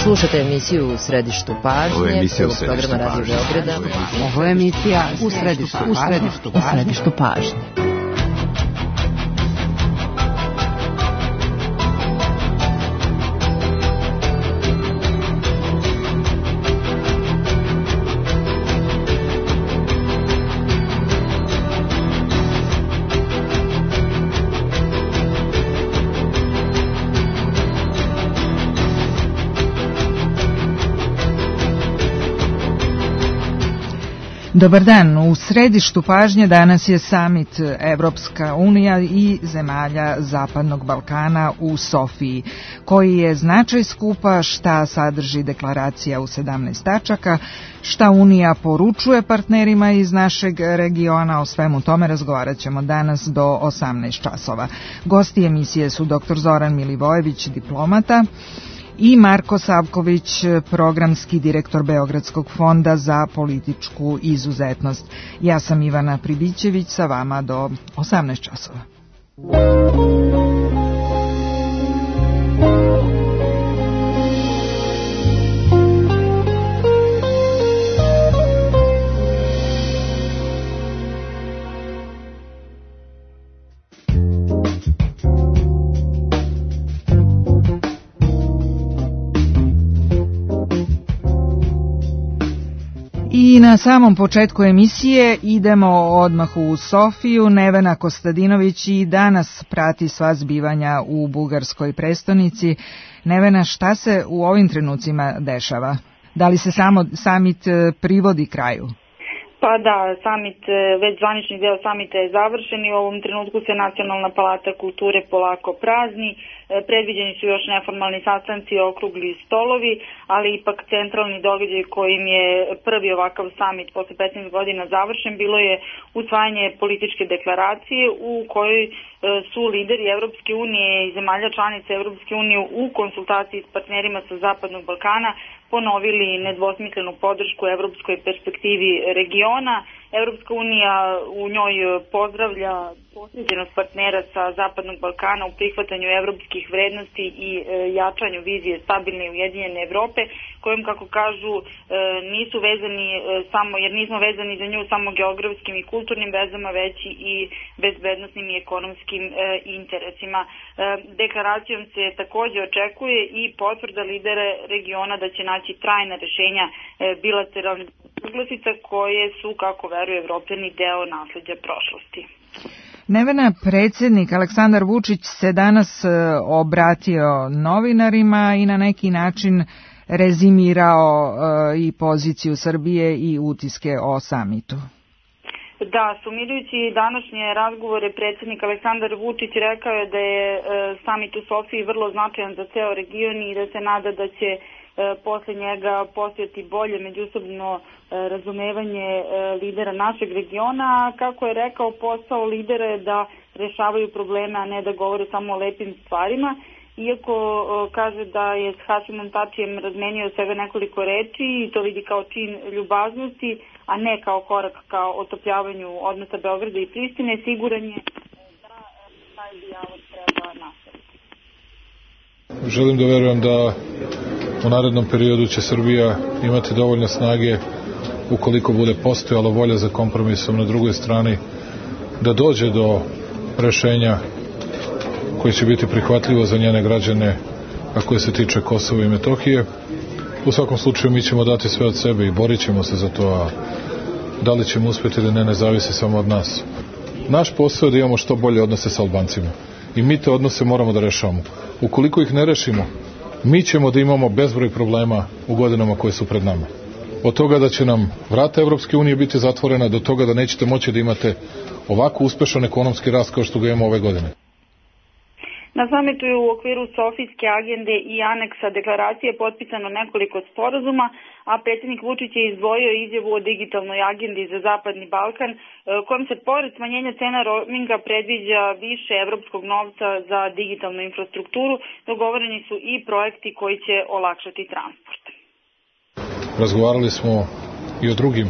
Slušate emisiju U središtu pažnje. Ovo je emisija U središtu pažnje. Radio Beograda. Ovo je emisija U središtu pažnje. Dobar dan, u središtu pažnje danas je samit Evropska unija i zemalja Zapadnog Balkana u Sofiji. Koji je značaj skupa, šta sadrži deklaracija u 17 tačaka, šta Unija poručuje partnerima iz našeg regiona, o svemu tome razgovarat ćemo danas do 18 časova. Gosti emisije su dr. Zoran Milivojević, diplomata, i Marko Savković, programski direktor Beogradskog fonda za političku izuzetnost. Ja sam Ivana Pribićević, sa vama do 18 časova. I na samom početku emisije idemo odmah u Sofiju. Nevena Kostadinović i danas prati sva zbivanja u bugarskoj prestonici. Nevena, šta se u ovim trenucima dešava? Da li se samit privodi kraju? Pa da, već zvanični deo samita je završen i u ovom trenutku se Nacionalna palata kulture polako prazni. Predviđeni su još neformalni sastanci i okrugli stolovi, ali ipak centralni događaj kojim je prvi ovakav samit posle 15 godina završen bilo je usvajanje političke deklaracije u kojoj su lideri Evropske unije i zemalja članica Evropske unije u konsultaciji s partnerima sa Zapadnog Balkana ponovili nedvosmislenu podršku evropskoj perspektivi regiona. Evropska unija u njoj pozdravlja posvećenost partnera sa Zapadnog Balkana u prihvatanju evropskih vrednosti i jačanju vizije stabilne i ujedinjene Evrope, kojom, kako kažu, nisu vezani samo, jer nismo vezani za nju samo geografskim i kulturnim vezama, već i bezbednosnim i ekonomskim interesima. Deklaracijom se takođe očekuje i potvrda lidera regiona da će naći trajna rešenja bilateralnih uglasica koje su, kako veruju Evropljani, deo nasleđa prošlosti. Nevena, predsjednik Aleksandar Vučić se danas obratio novinarima i na neki način rezimirao i poziciju Srbije i utiske o samitu. Da, sumirajući današnje razgovore, predsjednik Aleksandar Vučić rekao je da je samit u Sofiji vrlo značajan za ceo region i da se nada da će posle njega postojati bolje međusobno razumevanje lidera našeg regiona. Kako je rekao, posao lidera je da rešavaju probleme, a ne da govore samo o lepim stvarima. Iako kaže da je s Hašimom Tačijem razmenio svega nekoliko reči i to vidi kao čin ljubaznosti, a ne kao korak ka otopljavanju odnosa Beograda i Prištine, siguran je da taj dijalog treba nastaviti. Želim da verujem da u narednom periodu će Srbija imati dovoljno snage, ukoliko bude postojala volja za kompromisom na drugoj strani, da dođe do rešenja koje će biti prihvatljivo za njene građane, a koje se tiče Kosova i Metohije. U svakom slučaju mi ćemo dati sve od sebe i borit ćemo se za to, a da li ćemo uspjeti ili ne zavisi samo od nas. Naš posao je da imamo što bolje odnose sa Albancima i mi te odnose moramo da rešavamo. Ukoliko ih ne rešimo, mi ćemo da imamo bezbroj problema u godinama koje su pred nama. Od toga da će nam vrata Evropske unije biti zatvorena, do toga da nećete moći da imate ovako uspešan ekonomski rast kao što ga imamo ove godine. Na samitu je u okviru Sofijske agende i aneksa deklaracije potpisano nekoliko sporazuma, a predsjednik Vučić je izdvojio izjavu o digitalnoj agendi za Zapadni Balkan, kojom se pored smanjenja cena roaminga predviđa više evropskog novca za digitalnu infrastrukturu. Dogovoreni su i projekti koji će olakšati transport. Razgovarali smo i o drugim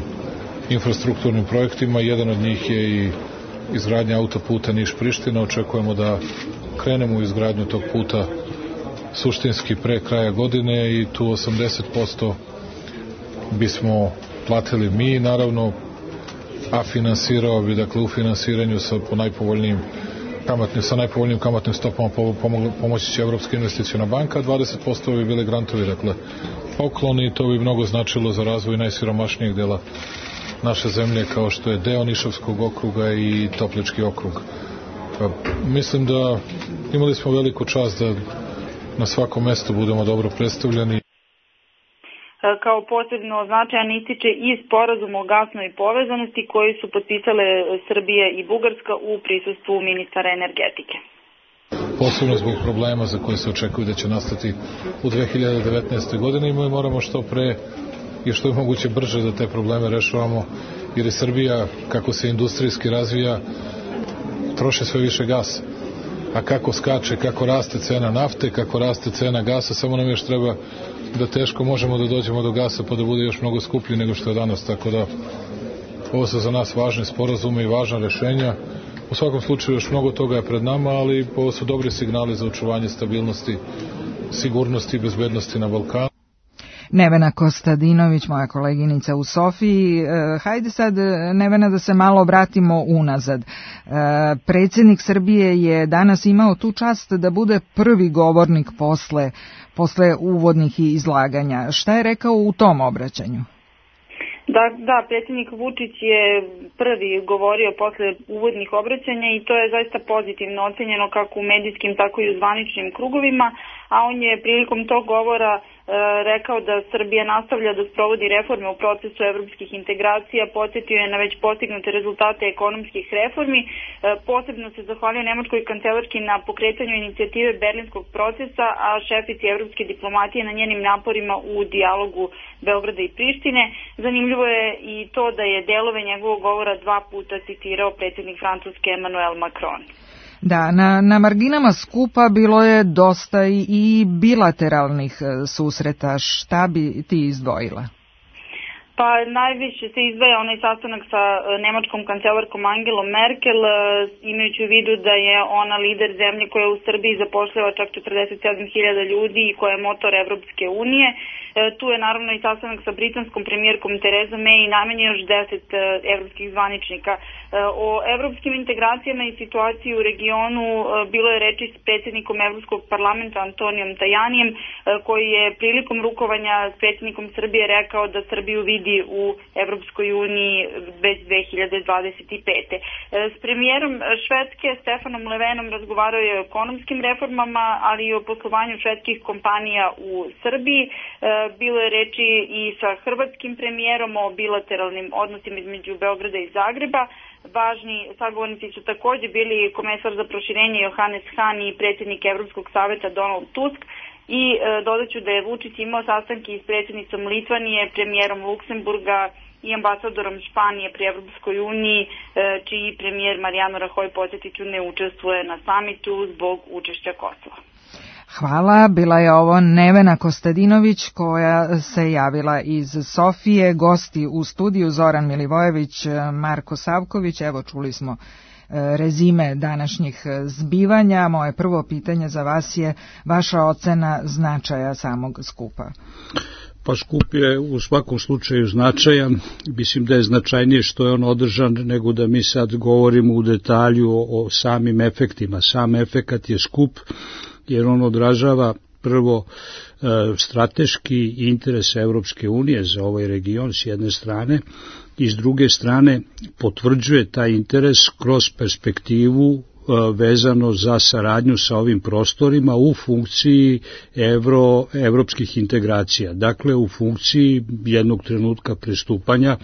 infrastrukturnim projektima, jedan od njih je i izgradnja autoputa Niš-Priština. Očekujemo da krenemo u izgradnju tog puta suštinski pre kraja godine i tu 80% bismo platili mi, naravno, a finansirao bi, dakle, u finansiranju sa najpovoljnijim kamatnim stopama pomoći će Evropska investiciona banka, 20% bi bile grantovi, dakle, pokloni, i to bi mnogo značilo za razvoj najsiromašnijeg dela naše zemlje, kao što je deo Nišavskog okruga i Toplički okrug. Mislim da imali smo veliku čast da na svakom mestu budemo dobro predstavljeni. Kao posebno značajan ističe i sporazum o gasnoj povezanosti koji su potpisale Srbija i Bugarska u prisustvu ministara energetike. Posebno zbog problema za koje se očekuju da će nastati u 2019. godini, mi moramo što pre i što je moguće brže da te probleme rešavamo, jer je Srbija, kako se industrijski razvija, troše sve više gasa. A kako skače, kako raste cena nafte, kako raste cena gasa, samo nam još treba da teško možemo da dođemo do gasa pa da bude još mnogo skuplji nego što je danas, tako da ovo su za nas važni sporazume i važna rešenja. U svakom slučaju još mnogo toga je pred nama, ali ovo su dobri signali za očuvanje stabilnosti, sigurnosti i bezbednosti na Balkanu. Nevena Kostadinović, moja koleginica u Sofiji. Hajde sad, Nevena, da se malo vratimo unazad. Predsjednik Srbije je danas imao tu čast da bude prvi govornik posle uvodnih izlaganja. Šta je rekao u tom obraćanju? Da, predsjednik Vučić je prvi govorio posle uvodnih obraćanja i to je zaista pozitivno ocenjeno kako u medijskim, tako i u zvaničnim krugovima, a on je prilikom tog govora rekao da Srbija nastavlja da sprovodi reforme u procesu evropskih integracija, podsjetio je na već postignute rezultate ekonomskih reformi, posebno se zahvalio nemačkoj kancelarki na pokretanju inicijative Berlinskog procesa, a šefici evropske diplomatije na njenim naporima u dijalogu Beograda i Prištine. Zanimljivo je i to da je delove njegovog govora 2 puta citirao predsjednik Francuske Emmanuel Macron. Da, na marginama skupa bilo je dosta i bilateralnih susreta. Šta bi ti izdvojila? Pa najviše se izdvaja onaj sastanak sa nemačkom kancelarkom Angelom Merkel, imajući u vidu da je ona lider zemlje koja u Srbiji zapošljava čak 47.000 ljudi i koja je motor Evropske unije. Tu je naravno i sastanak sa britanskom premijerkom Terezom May i najmanje još 10 evropskih zvaničnika. O evropskim integracijama i situaciji u regionu bilo je reči s predsjednikom Evropskog parlamenta Antonijom Tajanijem, koji je prilikom rukovanja s predsjednikom Srbije rekao da Srbiju vidi u Evropskoj uniji već 2025. S premijerom Švedske Stefanom Löfvenom razgovarao je o ekonomskim reformama, ali i o poslovanju švedskih kompanija u Srbiji. Bilo je reči i sa hrvatskim premijerom o bilateralnim odnosima između Beograda i Zagreba. Važni sagovornici su također bili komesar za proširenje Johannes Hahn i predsjednik Evropskog saveta Donald Tusk. I dodaću da je Vučić imao sastanke s predsjednicom Litvanije, premijerom Luksemburga i ambasadorom Španije pri Evropskoj uniji, čiji premijer Mariano Rajoy, podsjetiću, ne učestvuje na samitu zbog učešća Kosova. Hvala, bila je ovo Nevena Kostadinović koja se javila iz Sofije, gosti u studiju Zoran Milivojević, Marko Savković. Evo, čuli smo rezime današnjih zbivanja. Moje prvo pitanje za vas je vaša ocena značaja samog skupa. Pa skup je u svakom slučaju značajan. Mislim da je značajnije što je on održan nego da mi sad govorimo u detalju o samim efektima. Sam efekat je skup jer on odražava prvo strateški interes Evropske unije za ovaj region s jedne strane i s druge strane potvrđuje taj interes kroz perspektivu vezano za saradnju sa ovim prostorima u funkciji evropskih integracija, dakle u funkciji jednog trenutka pristupanja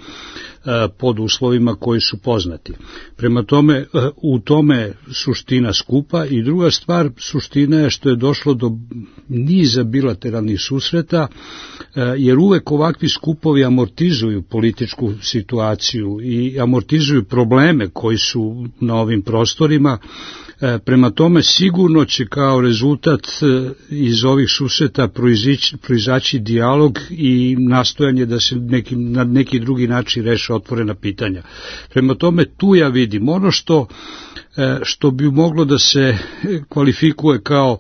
pod uslovima koji su poznati. Prema tome, u tome suština skupa i druga stvar, suština je što je došlo do niza bilateralnih susreta, jer uvek ovakvi skupovi amortizuju političku situaciju i amortizuju probleme koji su na ovim prostorima. Prema tome sigurno će kao rezultat iz ovih susreta proizaći dijalog i nastojanje da se na neki drugi način reše otvorena pitanja. Prema tome tu ja vidim ono što bi moglo da se kvalifikuje kao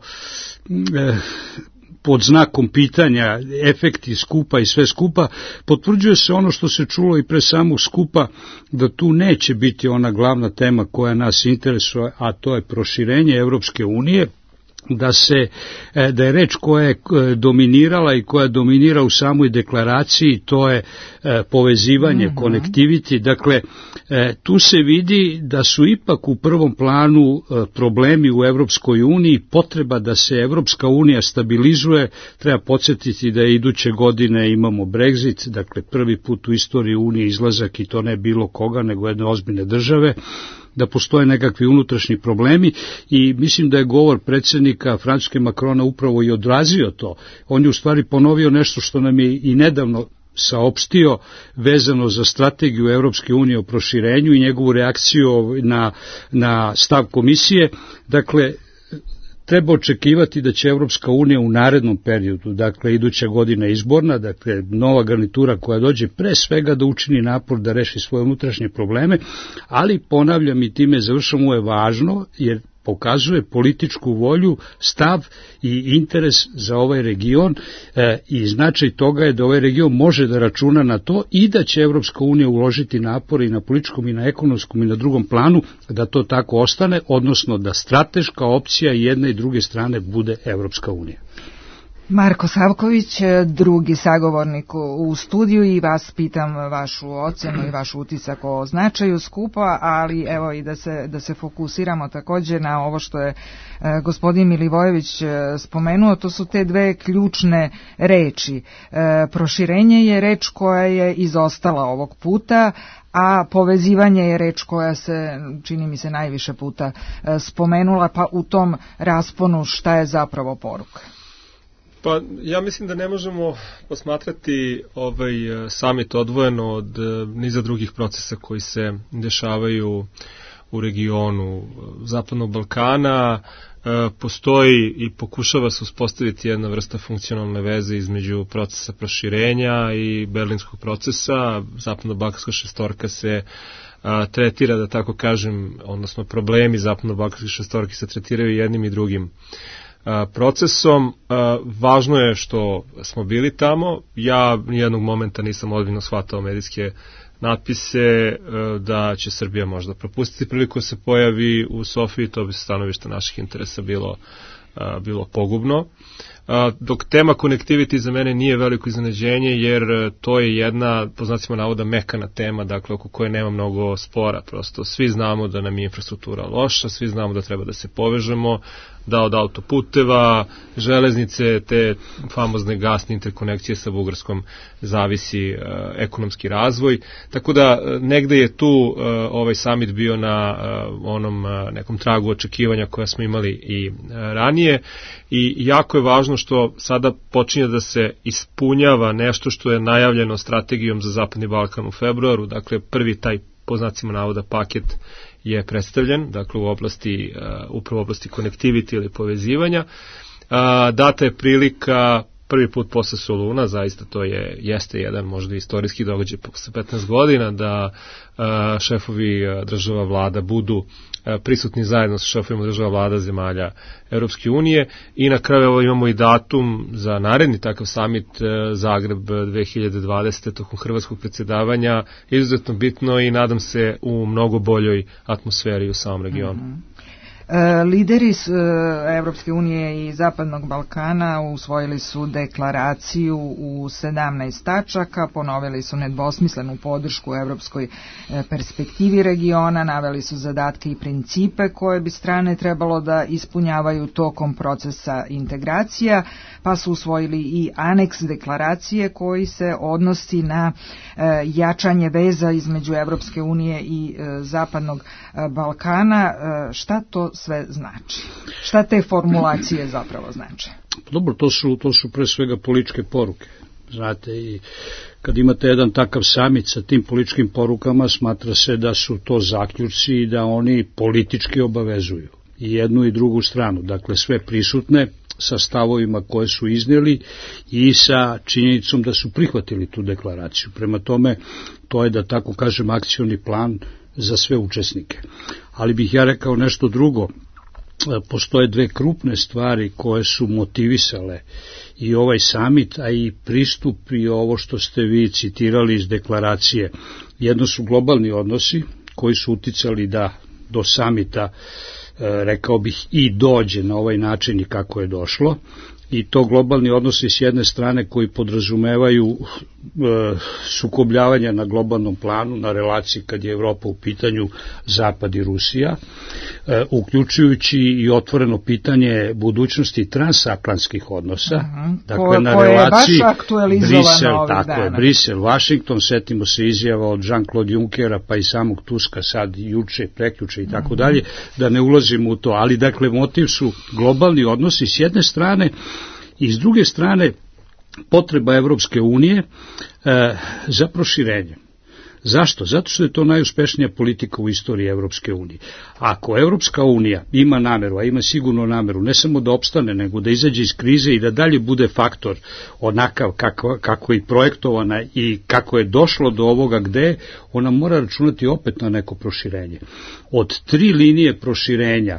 pod znakom pitanja efekti skupa i sve skupa, potvrđuje se ono što se čulo i pre samog skupa, da tu neće biti ona glavna tema koja nas interesuje, a to je proširenje Evropske unije, da je reč koja je dominirala i koja dominira u samoj deklaraciji, to je povezivanje, connectivity. Dakle, tu se vidi da su ipak u prvom planu problemi u Evropskoj uniji, potreba da se Evropska unija stabilizuje. Treba podsjetiti da iduće godine imamo Brexit, dakle prvi put u istoriji Unije izlazak, i to ne bilo koga, nego jedne ozbiljne države, da postoje nekakvi unutrašnji problemi, i mislim da je govor predsjednika Francuske Macrona upravo i odrazio to. On je u stvari ponovio nešto što nam je i nedavno saopštio vezano za strategiju Evropske unije o proširenju i njegovu reakciju na stav komisije. Dakle, treba očekivati da će Evropska unija u narednom periodu, dakle iduća godina izborna, dakle nova garnitura koja dođe, pre svega da učini napor da reši svoje unutrašnje probleme, ali ponavljam i time završam, ovo je važno jer pokazuje političku volju, stav i interes za ovaj region, i značaj toga je da ovaj region može da računa na to i da će Evropska unija uložiti napore i na političkom i na ekonomskom i na drugom planu da to tako ostane, odnosno da strateška opcija jedne i druge strane bude Evropska unija. Marko Savković, drugi sagovornik u studiju, i vas pitam vašu ocenu i vaš utisak o značaju skupa, ali evo i da se fokusiramo takođe na ovo što je gospodin Milivojević spomenuo, to su te dve ključne reči. Proširenje je reč koja je izostala ovog puta, a povezivanje je reč koja se, čini mi se, najviše puta spomenula, pa u tom rasponu šta je zapravo poruka? Pa ja mislim da ne možemo posmatrati ovaj samit odvojeno od niza drugih procesa koji se dešavaju u regionu Zapadnog Balkana. Postoji i pokušava se uspostaviti jedna vrsta funkcionalne veze između procesa proširenja i berlinskog procesa. Zapadno-balkanska šestorka se tretira, da tako kažem, odnosno problemi Zapadno-balkanske šestorke se tretiraju jednim i drugim procesom. Važno je što smo bili tamo. Ja nijednog momenta nisam ozbiljno shvatao medijske natpise da će Srbija možda propustiti priliku se pojavi u Sofiji, to bi stanovište naših interesa bilo pogubno. Dok tema connectivity za mene nije veliko iznenađenje, jer to je jedna, po znacima navoda, mekana tema, dakle oko koje nema mnogo spora. Prosto svi znamo da nam je infrastruktura loša, svi znamo da treba da se povežemo, da od autoputeva, železnice, te famozne gasne interkonekcije sa Bugarskom zavisi ekonomski razvoj. Tako da negde je tu ovaj summit bio na onom nekom tragu očekivanja koja smo imali i ranije, i jako je važno što sada počinje da se ispunjava nešto što je najavljeno strategijom za Zapadni Balkan u februaru. Dakle, prvi taj, po znacima navoda, paket je predstavljen, dakle upravo u oblasti connectivity ili povezivanja. Data je prilika prvi put posle Soluna, zaista to jeste jedan možda istorijski događaj posle 15 godina, da šefovi država vlada budu prisutni zajedno sa šefovima država vlada zemalja Europske unije, i na kraju imamo i datum za naredni takav summit Zagreb 2020. tokom hrvatskog predsjedavanja, izuzetno bitno i nadam se u mnogo boljoj atmosferi u samom regionu. Lideri Evropske unije i Zapadnog Balkana usvojili su deklaraciju u 17 tačaka, ponovili su nedvosmislenu podršku evropskoj perspektivi regiona, naveli su zadatke i principe koje bi strane trebalo da ispunjavaju tokom procesa integracija, pa su usvojili i aneks deklaracije koji se odnosi na jačanje veza između Evropske unije i Zapadnog Balkana. Šta to sve znači? Šta te formulacije zapravo znače? Dobro, to su pre svega političke poruke. Znate, i kad imate jedan takav samit sa tim političkim porukama, smatra se da su to zaključci i da oni politički obavezuju i jednu i drugu stranu. Dakle, sve prisutne sa stavovima koje su iznijeli i sa činjenicom da su prihvatili tu deklaraciju. Prema tome, to je, da tako kažem, akcioni plan za sve učesnike. Ali bih ja rekao nešto drugo. postoje dve krupne stvari koje su motivisale i ovaj samit, a i pristup i ovo što ste vi citirali iz deklaracije. Jedno su globalni odnosi koji su uticali da do samita, rekao bih, i dođe na ovaj način i kako je došlo. I to globalni odnosi s jedne strane koji podrazumevaju sukobljavanja na globalnom planu, na relaciji kad je Evropa u pitanju, Zapad i Rusija, uključujući i otvoreno pitanje budućnosti transatlantskih odnosa, dakle na relaciji Brisel, Washington, setimo se izjava od Jean-Claude Junckera pa i samog Tuska sad juče, prekjuče i tako dalje, da ne ulazimo u to, ali dakle motiv su globalni odnosi s jedne strane i s druge strane potreba Evropske unije za proširenje. Zašto? Zato što je to najuspešnija politika u istoriji Evropske unije. Ako Evropska unija ima nameru, a ima sigurno nameru, ne samo da opstane, nego da izađe iz krize i da dalje bude faktor onakav kako je projektovana i kako je došlo do ovoga gde, ona mora računati opet na neko proširenje. Od 3 linije proširenja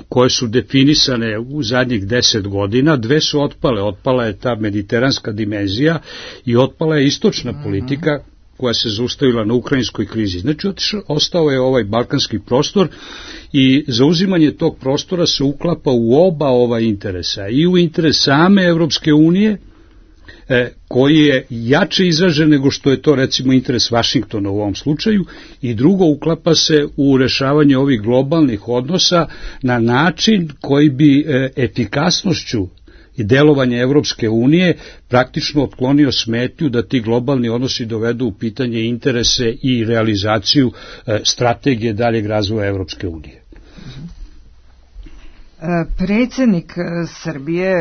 koje su definisane u zadnjih 10 godina, 2 su otpale. Otpala je ta mediteranska dimenzija i otpala je istočna politika koja se zaustavila na ukrajinskoj krizi. Znači, ostao je ovaj balkanski prostor i zauzimanje tog prostora se uklapa u oba ova interesa. I u interes same Evropske unije, koji je jače izražen nego što je to recimo interes Vašingtona u ovom slučaju, i drugo, uklapa se u rešavanje ovih globalnih odnosa na način koji bi efikasnošću i delovanje Evropske unije praktično otklonio smetnju da ti globalni odnosi dovedu u pitanje interese i realizaciju strategije daljeg razvoja Evropske unije. Predsjednik Srbije,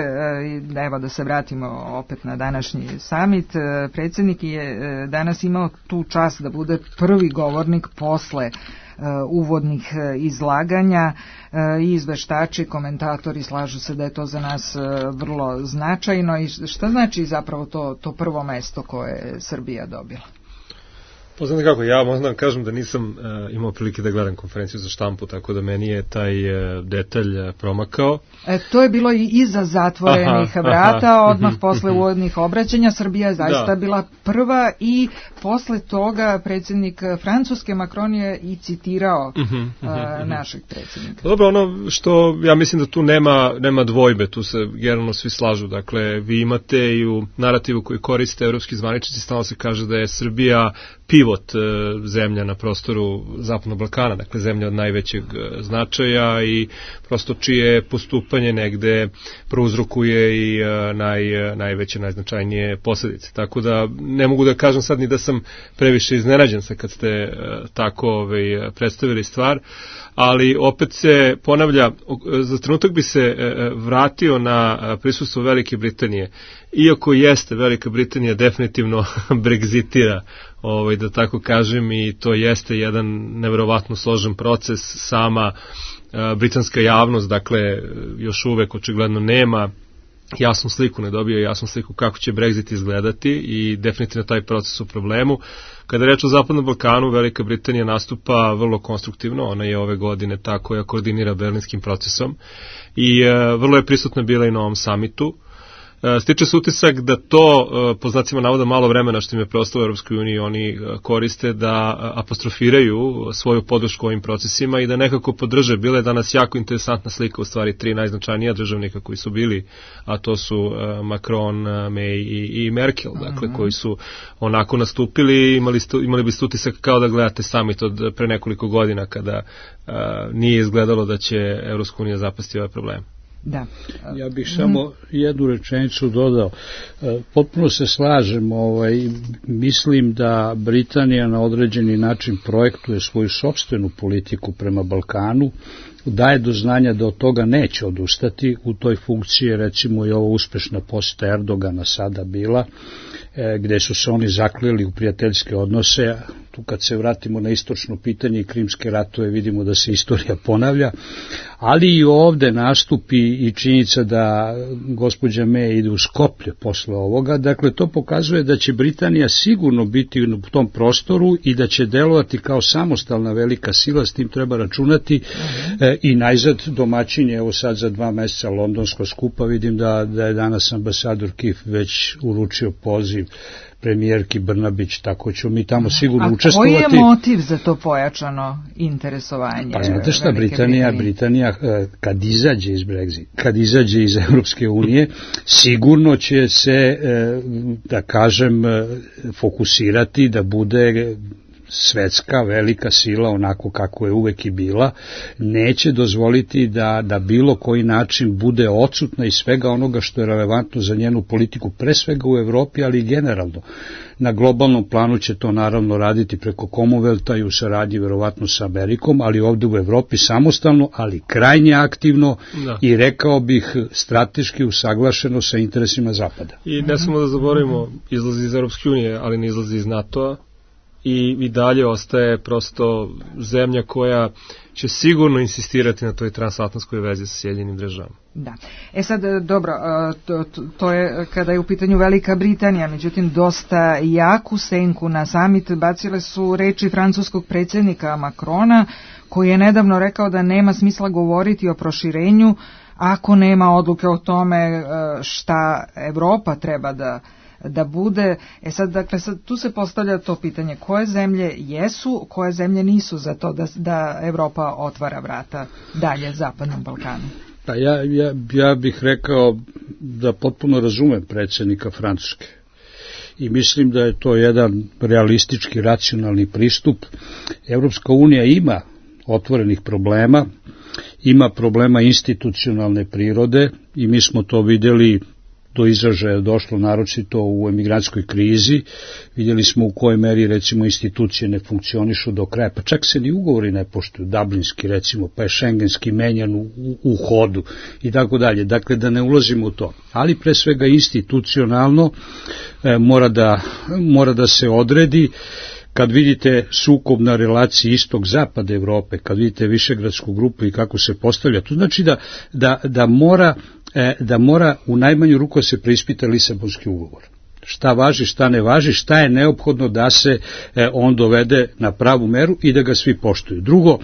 evo da se vratimo opet na današnji samit, predsjednik je danas imao tu čast da bude prvi govornik posle uvodnih izlaganja i izveštači, komentatori slažu se da je to za nas vrlo značajno. I šta znači zapravo to prvo mesto koje je Srbija dobila? Poznate kako, ja možda kažem da nisam imao prilike da gledam konferenciju za štampu, tako da meni je taj detalj promakao. To je bilo i iza zatvorenih vrata, odmah posle uvodnih obraćanja. Srbija je zaista bila prva i posle toga predsjednik Francuske Macron je i citirao našeg predsjednika. Dobro, ono što ja mislim da tu nema dvojbe, tu se generalno svi slažu. Dakle, vi imate i u narativu koji koriste evropski zvaničnici, stalno se kaže da je Srbija pivot zemlja na prostoru Zapadnog Balkana, dakle zemlja od najvećeg značaja i prosto čije postupanje negde prouzrokuje i najveće, najznačajnije posljedice. Tako da ne mogu da kažem sad ni da sam previše iznenađen sa kad ste tako predstavili stvar, ali opet se ponavlja, za trenutak bi se vratio na prisustvo Velike Britanije. Iako jeste Velika Britanija definitivno Brexitira, da tako kažem, i to jeste jedan neverovatno složen proces, sama britanska javnost, dakle, još uvek očigledno nema jasnu sliku, ne dobio jasnu sliku kako će Brexit izgledati i definitivno taj proces u problemu. Kada je reč o Zapadnom Balkanu, Velika Britanija nastupa vrlo konstruktivno, ona je ove godine ta koja koordinira berlinskim procesom i vrlo je prisutna bila i na ovom samitu. Stiče se utisak da to, po znacima navoda, malo vremena što im je preostalo u Europskoj uniji, oni koriste da apostrofiraju svoju podršku ovim procesima i da nekako podrže. Bila je danas jako interesantna slika, u stvari 3 najznačajnija državnika koji su bili, a to su Macron, May i Merkel, dakle, koji su onako nastupili, imali biste utisak kao da gledate summit od pre nekoliko godina kada nije izgledalo da će Europska unija zapasti ove probleme. Da. Ja bih samo jednu rečenicu dodao. Potpuno se slažem, mislim da Britanija na određeni način projektuje svoju sopstvenu politiku prema Balkanu, daje do znanja da od toga neće odustati. U toj funkciji recimo i ova uspešna poseta Erdogana sada bila, gde su se oni zakleli u prijateljske odnose, tu kad se vratimo na istočno pitanje i krimske ratove vidimo da se istorija ponavlja, ali i ovde nastupi i činjenica da gospođa May ide u Skoplje posle ovoga, dakle to pokazuje da će Britanija sigurno biti u tom prostoru i da će delovati kao samostalna velika sila, s tim treba računati i najzad domaćinje, evo sad za 2 meseca londonskog skupa, vidim da je danas ambasador Keith već uručio poziv premijerki Brnabić, tako ćemo mi tamo sigurno učestvovati. A koji je motiv za to pojačano interesovanje? Pa znate šta, Britanija kad izađe iz Brexit, kad izađe iz Evropske unije, sigurno će se, da kažem, fokusirati da bude svetska velika sila, onako kako je uvek i bila, neće dozvoliti da bilo koji način bude odsutna iz svega onoga što je relevantno za njenu politiku, pre svega u Evropi, ali i generalno. Na globalnom planu će to naravno raditi preko Commonwealtha i u saradnji verovatno sa Amerikom, ali ovde u Evropi samostalno, ali krajnje aktivno i rekao bih strateški usaglašeno sa interesima Zapada. I ne samo da zaboravimo, izlazi iz Evropske unije, ali ne izlazi iz NATO-a, i dalje ostaje prosto zemlja koja će sigurno insistirati na toj transatlantskoj vezi sa Sjedinjenim Državama. Da. Sad, dobro, to je kada je u pitanju Velika Britanija, međutim, dosta jaku senku na samit bacile su reči francuskog predsjednika Macrona, koji je nedavno rekao da nema smisla govoriti o proširenju ako nema odluke o tome šta Evropa treba da bude. Sad, dakle, tu se postavlja to pitanje, koje zemlje jesu, koje zemlje nisu za to da Evropa otvara vrata dalje Zapadnom Balkanu? Pa ja bih rekao da potpuno razumem predsjednika Francuske i mislim da je to jedan realistički, racionalni pristup. Evropska unija ima otvorenih problema, ima problema institucionalne prirode i mi smo to vidjeli, do izražaja došlo naročito u emigrantskoj krizi, vidjeli smo u kojoj meri recimo institucije ne funkcionišu do kraja, pa čak se ni ugovori ne poštuju, dublinski recimo, pa je šengenski menjan u hodu i tako dalje, dakle da ne ulazimo u to, ali pre svega institucionalno mora da se odredi. Kad vidite sukob na relaciji istok-zapad Evrope, kad vidite Višegradsku grupu i kako se postavlja, to znači da mora u najmanju ruku se preispita Lisabonski ugovor. Šta važi, šta ne važi, šta je neophodno da se on dovede na pravu meru i da ga svi poštuju. Drugo,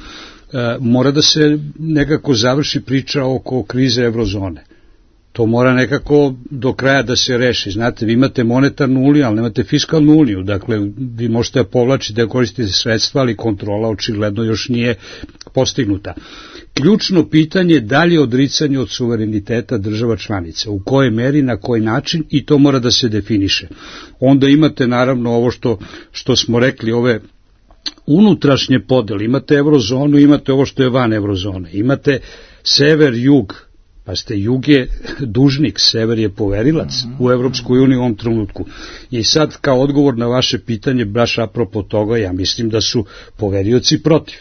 mora da se nekako završi priča oko krize eurozone. To mora nekako do kraja da se reši. Znate, vi imate monetarnu uniju, ali nemate fiskalnu uniju. Dakle, vi možete povlačiti da koristite sredstva, ali kontrola očigledno još nije postignuta. Ključno pitanje je dalje odricanje od suvereniteta država članica. U kojoj meri, na koji način, i to mora da se definiše. Onda imate naravno ovo što smo rekli, ove unutrašnje podele. Imate eurozonu, imate ovo što je van eurozone. Imate sever, jug. Pa jug je dužnik, sever je poverilac u Evropskoj uniji u ovom trenutku. I sad kao odgovor na vaše pitanje, baš apropo toga, ja mislim da su poverioci protiv.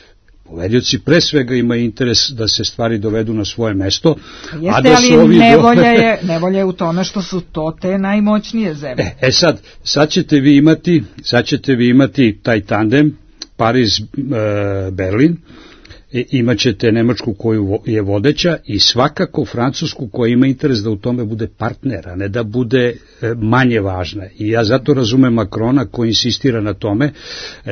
Poverioci pre svega imaju interes da se stvari dovedu na svoje mesto. Jeste, a da su ali nevolja je u tome što su to te najmoćnije zemlje. Sad ćete vi imati taj tandem Pariz-Berlin, imaćete Nemačku koju je vodeća i svakako Francusku koja ima interes da u tome bude partner, a ne da bude manje važna. I ja zato razumem Macrona koji insistira na tome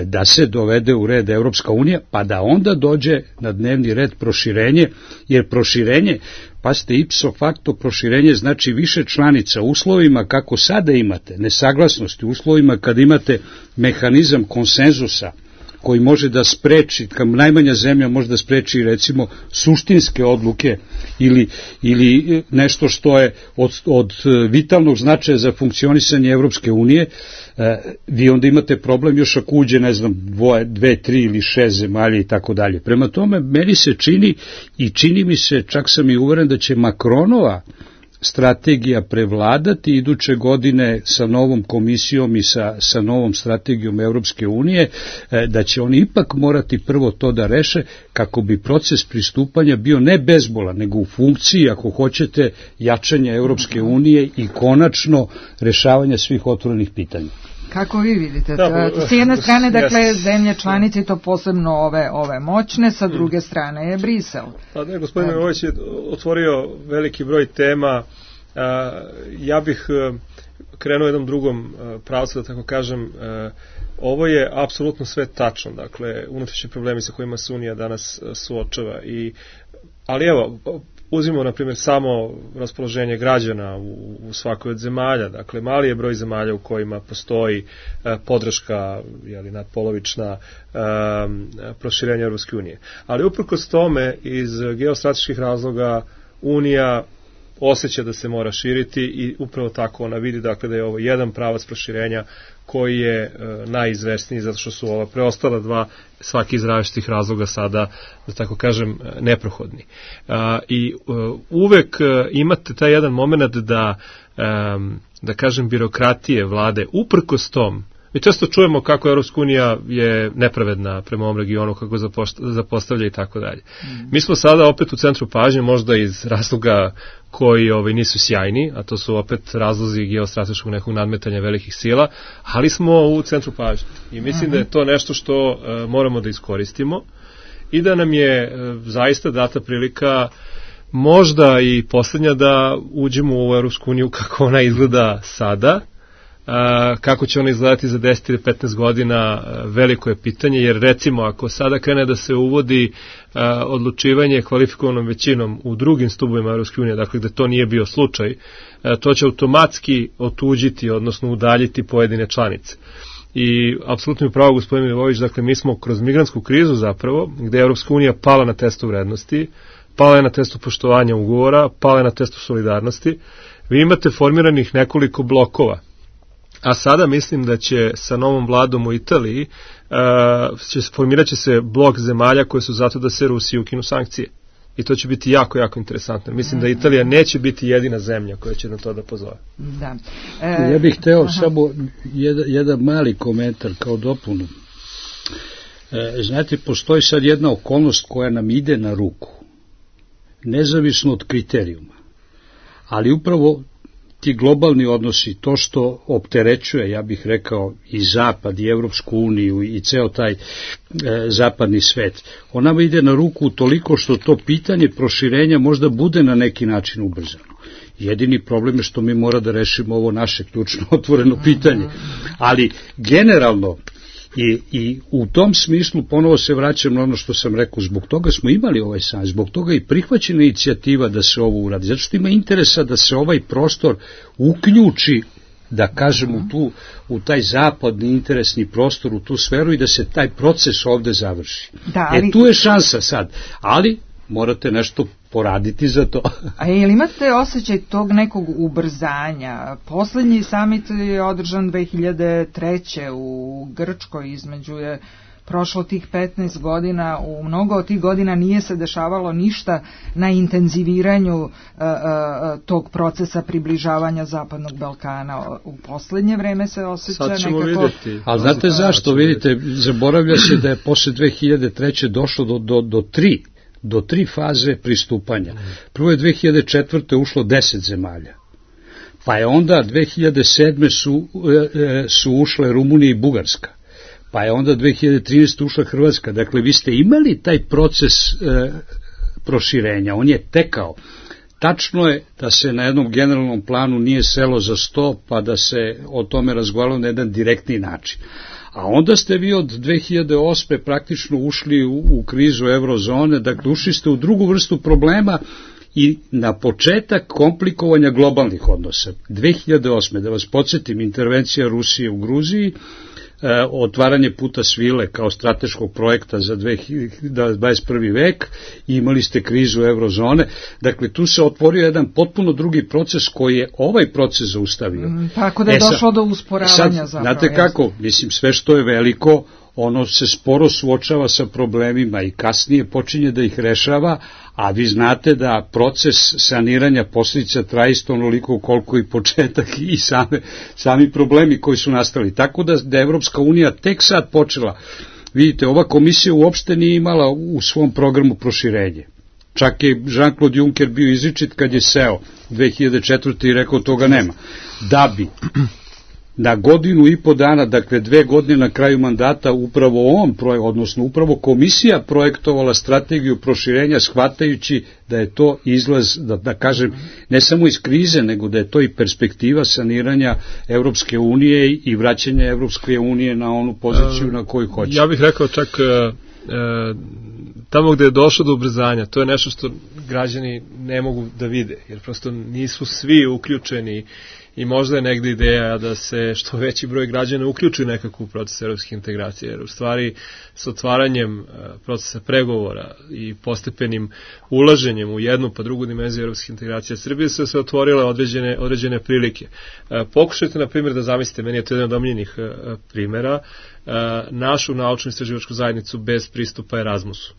da se dovede u red Evropska unija, pa da onda dođe na dnevni red proširenje, jer proširenje, pazite, ipso facto proširenje znači više članica u uslovima kako sada imate, nesaglasnosti, u uslovima kad imate mehanizam konsenzusa, koji može da spreči, kao najmanja zemlja može da spreči recimo suštinske odluke ili nešto što je od vitalnog značaja za funkcionisanje Evropske unije, vi onda imate problem još ako uđe, ne znam, 2, 3 ili 6 zemalja i tako dalje. Prema tome, meni se čini mi se, čak sam i uveren da će Macronova strategija prevladati iduće godine sa novom komisijom i sa novom strategijom Evropske unije, da će oni ipak morati prvo to da reše kako bi proces pristupanja bio ne bezbolan, nego u funkciji, ako hoćete, jačanja Evropske unije i konačno rešavanja svih otvorenih pitanja. Kako vi vidite? S jedne strane, dakle, zemlje članice, to posebno ove moćne, sa druge strane je Brisel. Pa ne, gospodin Milivojević je otvorio veliki broj tema. Ja bih krenuo jednom drugom pravcu, da tako kažem. Ovo je apsolutno sve tačno, dakle, unutrašnji problemi sa kojima se Unija danas suočava. Ali evo, uzmimo, na primjer, samo raspoloženje građana u svakoj od zemalja. Dakle, mali je broj zemalja u kojima postoji podrška, nadpolovična, proširenja Europske unije. Ali uprkos tome, iz geostrateških razloga, Unija osjeća da se mora širiti i upravo tako ona vidi, dakle, da je ovo jedan pravac proširenja koji je najizvesniji, zato što su ova preostala dva, svaki iz različitih razloga sada, da tako kažem, neprohodni. I uvek imate taj jedan moment da kažem, birokratije vlade, uprkos tom, mi često čujemo kako Europska unija je nepravedna prema ovom regionu, kako zapostavlja i tako dalje. Mi smo sada opet u centru pažnje, možda iz razloga koji nisu sjajni, a to su opet razlozi geostrateškog nekog nadmetanja velikih sila, ali smo u centru pažnje. I mislim da je to nešto što moramo da iskoristimo i da nam je zaista data prilika, možda i poslednja, da uđemo u Europsku uniju kako ona izgleda sada. Kako će ona izgledati za 10 ili 15 godina, veliko je pitanje, jer recimo ako sada krene da se uvodi odlučivanje kvalifikovanom većinom u drugim stubovima Europske unije, dakle gde to nije bio slučaj, to će automatski otuđiti, odnosno udaljiti pojedine članice. I apsolutno je pravo gospodin Milivojević, dakle mi smo kroz migrantsku krizu zapravo, gde je Europska unija pala na testu vrednosti, pala je na testu poštovanja ugovora, pala je na testu solidarnosti, vi imate formiranih nekoliko blokova. A sada mislim da će sa novom vladom u Italiji formirat će se blok zemalja koje su zato da se Rusiji ukinu sankcije. I to će biti jako, jako interesantno. Mislim da Italija neće biti jedina zemlja koja će na to da pozove. Da. Ja bih hteo samo jedan mali komentar kao dopunu. Znate, postoji sad jedna okolnost koja nam ide na ruku, nezavisno od kriterijuma. Ali upravo ti globalni odnosi, to što opterećuje, ja bih rekao, i Zapad, i Evropsku uniju, i ceo taj zapadni svet, ona ide na ruku toliko što to pitanje proširenja možda bude na neki način ubrzano. Jedini problem je što mi mora da rešimo ovo naše ključno otvoreno pitanje. Ali generalno, I u tom smislu ponovo se vraćam na ono što sam rekao, zbog toga smo imali ovaj san, zbog toga i prihvaćena inicijativa da se ovo uradi, zato što ima interesa da se ovaj prostor uključi, da kažem, u taj zapadni interesni prostor, u tu sferu i da se taj proces ovde završi. Da, ali tu je šansa sad, ali morate nešto poraditi za to. A je li imate osjećaj tog nekog ubrzanja? Poslednji samit je održan 2003. u Grčkoj, između je prošlo tih 15 godina, u mnogo od tih godina nije se dešavalo ništa na intenziviranju tog procesa približavanja Zapadnog Balkana. U poslednje vreme se osjeća nekako... Ali znate zašto? Vidite, zaboravlja se da je posle 2003. došlo do tri faze pristupanja. Prvo je 2004. ušlo 10 zemalja. Pa je onda 2007. su ušle Rumunija i Bugarska. Pa je onda 2013. ušla Hrvatska. Dakle, vi ste imali taj proces proširenja. On je tekao. Tačno je da se na jednom generalnom planu nije selo za sto, pa da se o tome razgovaralo na jedan direktni način. A onda ste vi od 2008. praktično ušli u krizu eurozone, dakle ušli ste u drugu vrstu problema i na početak komplikovanja globalnih odnosa. 2008. da vas podsjetim, intervencija Rusije u Gruziji, otvaranje puta svile kao strateškog projekta za 21. vek, imali ste krizu eurozone, dakle tu se otvorio jedan potpuno drugi proces koji je ovaj proces zaustavio. Tako da je došlo do usporavanja zapravo. Znate kako, mislim, sve što je veliko, ono se sporo suočava sa problemima i kasnije počinje da ih rešava, a vi znate da proces saniranja posljedica traje isto onoliko koliko i početak i sami problemi koji su nastali. Tako da Evropska unija tek sad počela. Vidite, ova komisija uopšte nije imala u svom programu proširenje. Čak je Jean-Claude Juncker bio izričit kad je seo 2004. i rekao toga nema. Da bi na godinu i po dana, dakle 2 godine na kraju mandata, upravo odnosno upravo komisija projektovala strategiju proširenja, shvatajući da je to izlaz, da kažem, ne samo iz krize, nego da je to i perspektiva saniranja Evropske unije i vraćanja Evropske unije na onu poziciju na koju hoće. Ja bih rekao čak tamo gde je došlo do ubrzanja, to je nešto što građani ne mogu da vide, jer prosto nisu svi uključeni i možda je negde ideja da se što veći broj građana uključi u nekakvu proces evropske integracije, jer u stvari s otvaranjem procesa pregovora i postepenim ulaženjem u jednu pa drugu dimenziju evropske integracije Srbije se otvorile određene prilike. Pokušajte, na primjer, da zamislite, meni je to jedan od omiljenih primjera, našu naučnu istraživačku zajednicu bez pristupa Erasmusu.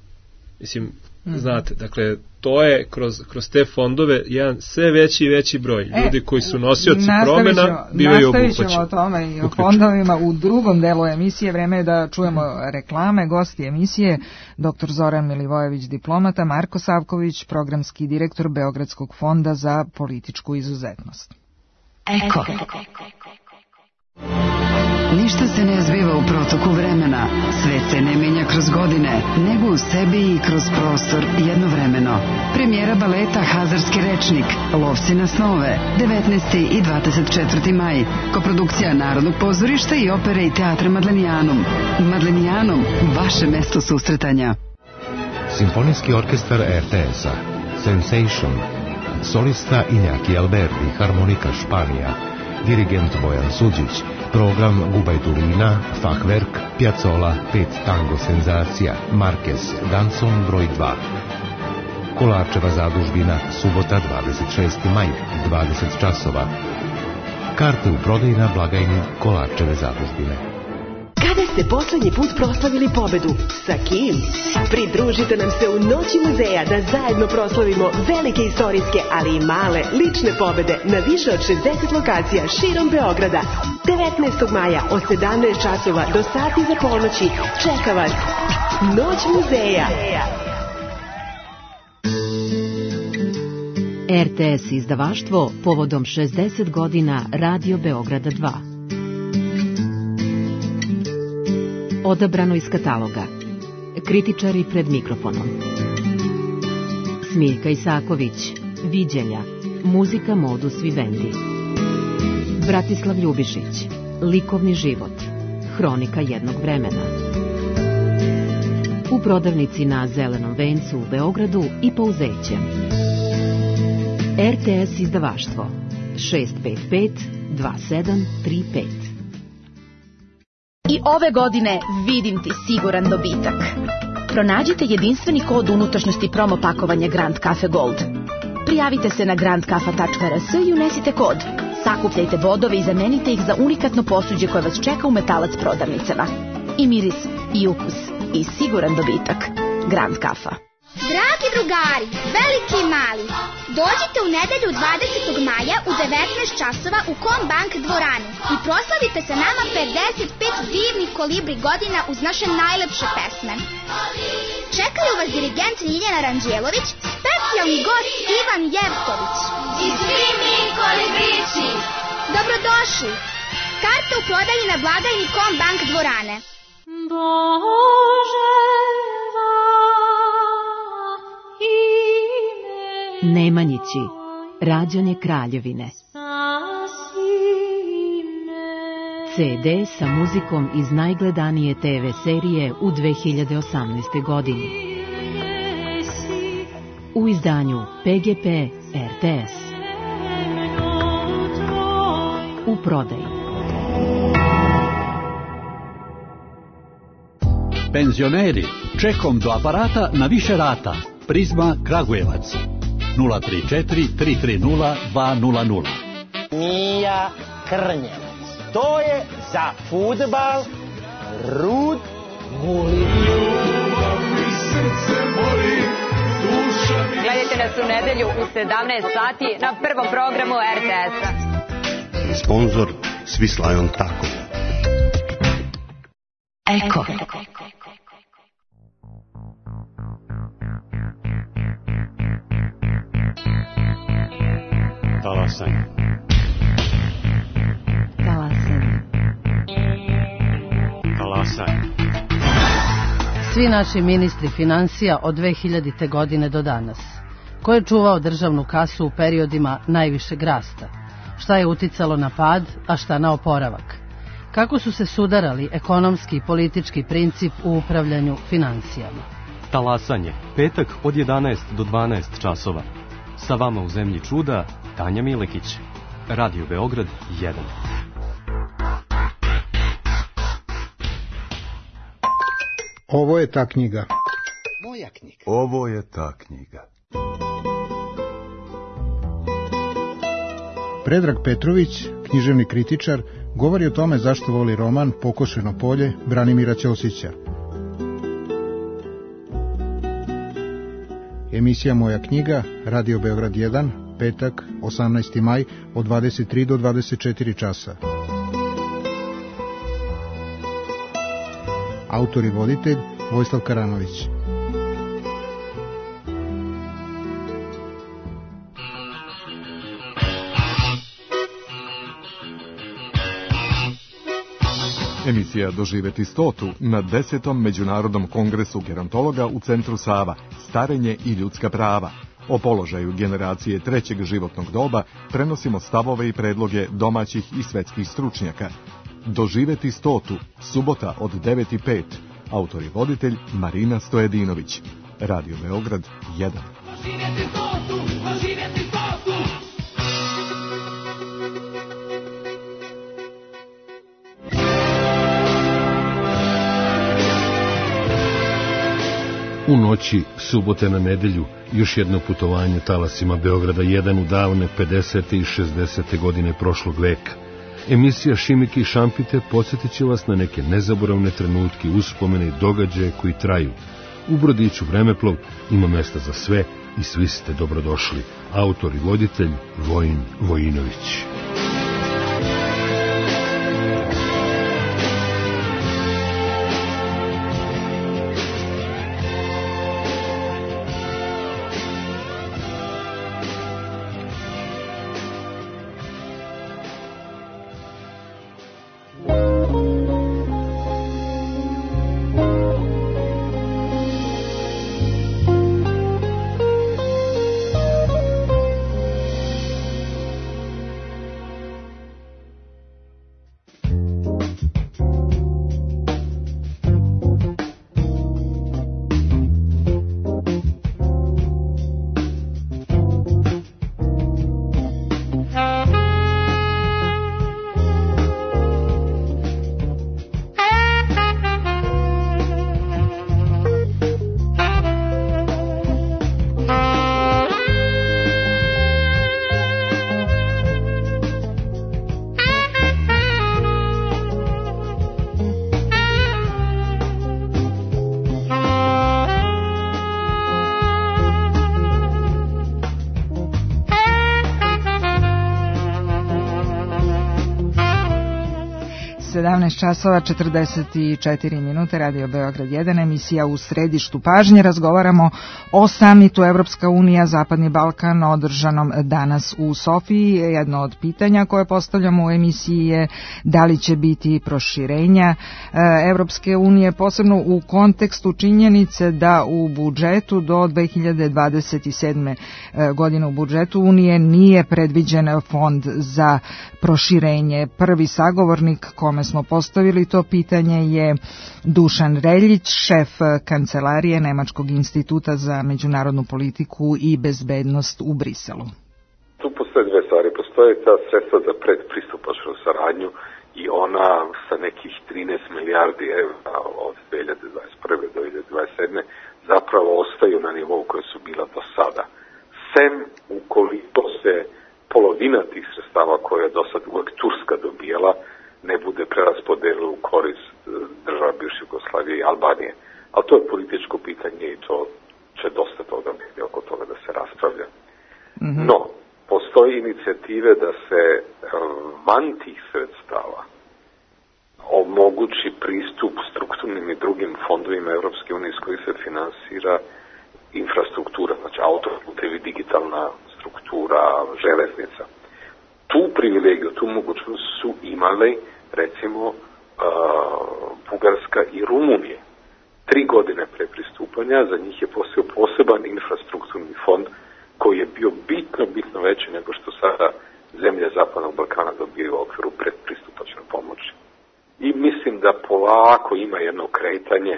Mislim, znate, dakle, to je kroz te fondove jedan sve veći i veći broj ljudi koji su nosioci promena bivaju obuhvaćeni. Nastavit ćemo o tome i o fondovima u drugom delu emisije. Vreme je da čujemo reklame. Gosti emisije dr. Zoran Milivojević, diplomata, Marko Savković, programski direktor Beogradskog fonda za političku izuzetnost. Eko. Ništa se ne zbiva u protoku vremena, svet se ne menja kroz godine, nego u sebi i kroz prostor jednovremeno. Premijera baleta Hazarski rečnik, Lovci na snove, 19. i 24. maj, koprodukcija Narodnog pozorišta i opere i teatra Madlenijanum. Madlenijanum, vaše mesto susretanja. Simfonijski orkestar RTS-a, Sensation, solista Iñaki Alberdi, harmonika Španija, dirigent Bojan Suđić, program Gubajturina, Fachwerk, Piazzolla, 5 tango senzacija, Marquez, Danson broj 2. Kolarčeva zadužbina, subota 26. maj, 20 časova. Karte u prodaji na blagajni Kolarčeve zadužbine. Kada ste poslednji put proslavili pobedu? Sa kim? Pridružite nam se u Noći muzeja da zajedno proslavimo velike istorijske, ali i male, lične pobede na više od 60 lokacija širom Beograda. 19. maja od 17 časova do sati za ponoći čeka vas Noć muzeja. RTS izdavaštvo povodom 60 godina Radio Beograda 2. Odabrano iz kataloga. Kritičari pred mikrofonom. Smiljka Isaković, Viđenja, muzika Modus Vivendi. Bratislav Ljubišić, Likovni život, hronika jednog vremena. U prodavnici na Zelenom vencu u Beogradu i Pouzeće. RTS izdavaštvo 655 2735. I ove godine vidim ti siguran dobitak. Pronađite jedinstveni kod unutrašnjosti promo pakovanja Grand Cafe Gold. Prijavite se na grandkafa.rs i unesite kod. Sakupljajte bodove i zamenite ih za unikatno posuđe koje vas čeka u Metalac prodavnicama. I miris, i ukus, i siguran dobitak. Grand Cafa. Dragi drugari, veliki i mali, dođite u nedelju 20. maja u 19 časova u Kombank dvoranu i proslavite sa nama 55 divnih kolibri godina uz naše najlepše pesme. Čekaju vas dirigent Ljiljana Ranđelović, specijalni gost Ivan Jevtović. I svi mi kolibrići. Dobrodošli. Karte u prodaji na blagajni Kombank dvorane. Bože, Nemanjići, rađanje Kraljevine. CD sa muzikom iz najgledanije TV serije u 2018. godini. U izdanju PGP RTS. U prodaji. Penzioneri, čekom do aparata na više rata. Prizma Kragujevac 034 330 200. Mija Krnjevac. To je za fudbal Rud Gulin. Gledajte nas u nedelju u 17 sati na prvom programu RTS-a. Sponzor Swiss Tako. Eko. Talasanje. Talasanje. svi naši ministri financija od 2000. godine do danas? Ko je čuvao državnu kasu u periodima najvišeg rasta? Šta je uticalo na pad, a šta na oporavak? Kako su se sudarali ekonomski i politički princip u upravljanju financijama? Talasanje, petak od 11 do 12 časova. Sa vama u zemlji čuda, Tanja Milekić. Radio Beograd 1. Ovo je ta knjiga. Moja knjiga. Ovo je ta knjiga. Predrag Petrović, književni kritičar, govori o tome zašto voli roman Pokošeno polje Branimira Ćosića. Emisija Moja knjiga, Radio Beograd 1, petak, 18. maj, od 23 do 24 časa. Autor i voditelj Vojislav Karanović. Emisija Doživeti 100. na 10. Međunarodnom kongresu gerontologa u Centru Sava, starenje i ljudska prava. O položaju generacije trećeg životnog doba prenosimo stavove i predloge domaćih i svetskih stručnjaka. Doživeti 100. subota od 9:05. Autor i voditelj Marina Stojedinović. Radio Beograd 1. Doživeti 100. Doživeti 100. U noći subote na nedelju još jedno putovanje talasima Beograda 1 u davne 50. i 60. godine prošlog veka. Emisija Šimike i šampite podsjetit će vas na neke nezaboravne trenutke, uspomene i događaje koji traju. U brodiću Vremeplov ima mesta za sve i svi ste dobrodošli. Autor i voditelj Vojin Vojinović. časova 44 minute, Radio Beograd 1, emisija U središtu pažnje. Razgovaramo o samitu Evropska unija, Zapadni Balkan, održanom danas u Sofiji. Jedno od pitanja koje postavljamo u emisiji je da li će biti proširenja Evropske unije, posebno u kontekstu činjenice da u budžetu do 2027. godine u budžetu Unije nije predviđen fond za proširenje. Prvi sagovornik kome smo postavili to pitanje je Dušan Reljić, šef kancelarije Nemačkog instituta za međunarodnu politiku i bezbednost u Briselu. Tu postoje dve stvari. Postoje ta sredstva za predpristupačnu saradnju i ona sa nekih 13 milijardi evra od 2021. do 2027. zapravo ostaju na nivou koje su bila do sada. Sem ukoliko se polovina tih sredstava koje je do sad uvek Turska dobijala ne bude preraspodelila u korist država bivše Jugoslavije i Albanije. Ali to je političko pitanje i to će dosta toga biti oko toga da se raspravlja. No, postoji inicijative da se van tih sredstava omogući pristup strukturnim i drugim fondovima Evropske unije s koji se finansira infrastruktura, znači autoputevi, digitalna struktura, železnica. Tu privilegiju, tu mogućnost su imale recimo Bugarska i Rumunije. 3 godine pre pristupanja, za njih je postojao poseban infrastrukturni fond koji je bio bitno veći nego što sada zemlje Zapadnog Balkana dobiju u okviru predpristupačne pomoći. I mislim da polako ima jedno kretanje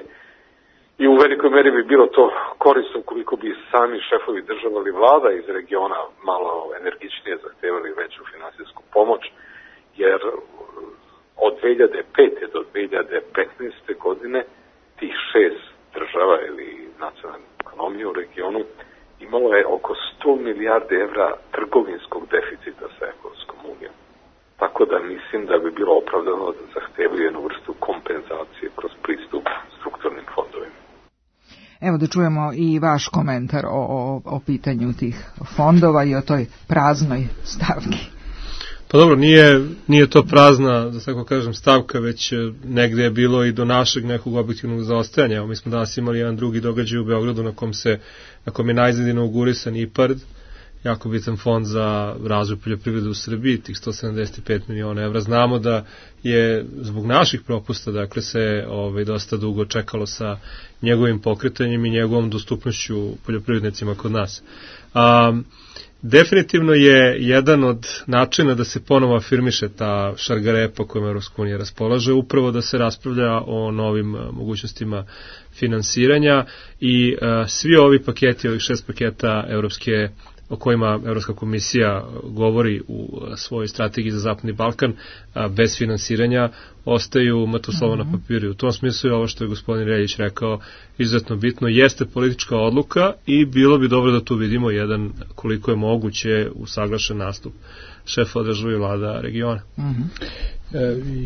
i u velikoj meri bi bilo to korisno koliko bi sami šefovi država ili vlada iz regiona malo energičnije zahtevali veću finansijsku pomoć, jer od 2005. do 2015. godine tih 6 država ili nacionalne ekonomije u regionu imalo je oko 100 milijardi evra trgovinskog deficita sa Evropskom unijom. Tako da mislim da bi bilo opravdano da zahtevaju jednu vrstu kompenzacije kroz pristup strukturnim fondovima. Evo da čujemo i vaš komentar o pitanju tih fondova i o toj praznoj stavki. Pa dobro, nije to prazna, da tako kažem, stavka, već negde je bilo i do našeg nekog objektivnog zaostajanja. Evo, mi smo danas imali jedan drugi događaj u Beogradu na kom je najzad inaugurisan IPARD, jako bitan fond za razvoj poljoprivrede u Srbiji, tih 175 miliona evra. Znamo da je zbog naših propusta, dakle, se dosta dugo čekalo sa njegovim pokretanjem i njegovom dostupnošću poljoprivrednicima kod nas. Definitivno je jedan od načina da se ponovo afirmiše ta šargarepa kojom Evropska unija raspolaže, upravo da se raspravlja o novim mogućnostima finansiranja i svi ovi paketi, ovih 6 paketa evropske o kojima Evropska komisija govori u svojoj strategiji za Zapadni Balkan, bez finansiranja ostaju mrtvo slovo na papiru. U tom smislu je ovo što je gospodin Reljić rekao izuzetno bitno, jeste politička odluka i bilo bi dobro da tu vidimo jedan, koliko je moguće, usaglašen nastup šefa države i vlada regiona.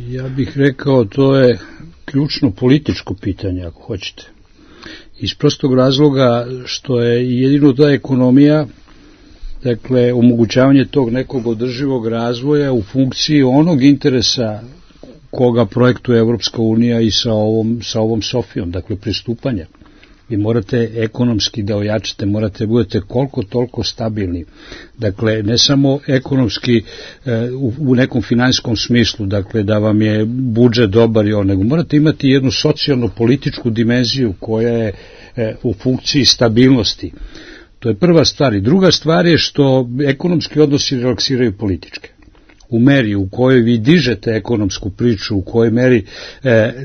Ja bih rekao, to je ključno političko pitanje, ako hoćete. Iz prostog razloga što je jedino ta ekonomija, dakle, omogućavanje tog nekog održivog razvoja u funkciji onog interesa koga projektuje Evropska unija i sa ovom Sofijom, dakle, pristupanja. Vi morate ekonomski da ojačate, morate budete koliko toliko stabilni. Dakle, ne samo ekonomski u nekom finansijskom smislu, dakle, da vam je budžet dobar i on, nego morate imati jednu socijalno-političku dimenziju koja je u funkciji stabilnosti. To je prva stvar. I druga stvar je što ekonomski odnosi relaksiraju političke. U meri u kojoj vi dižete ekonomsku priču, u kojoj meri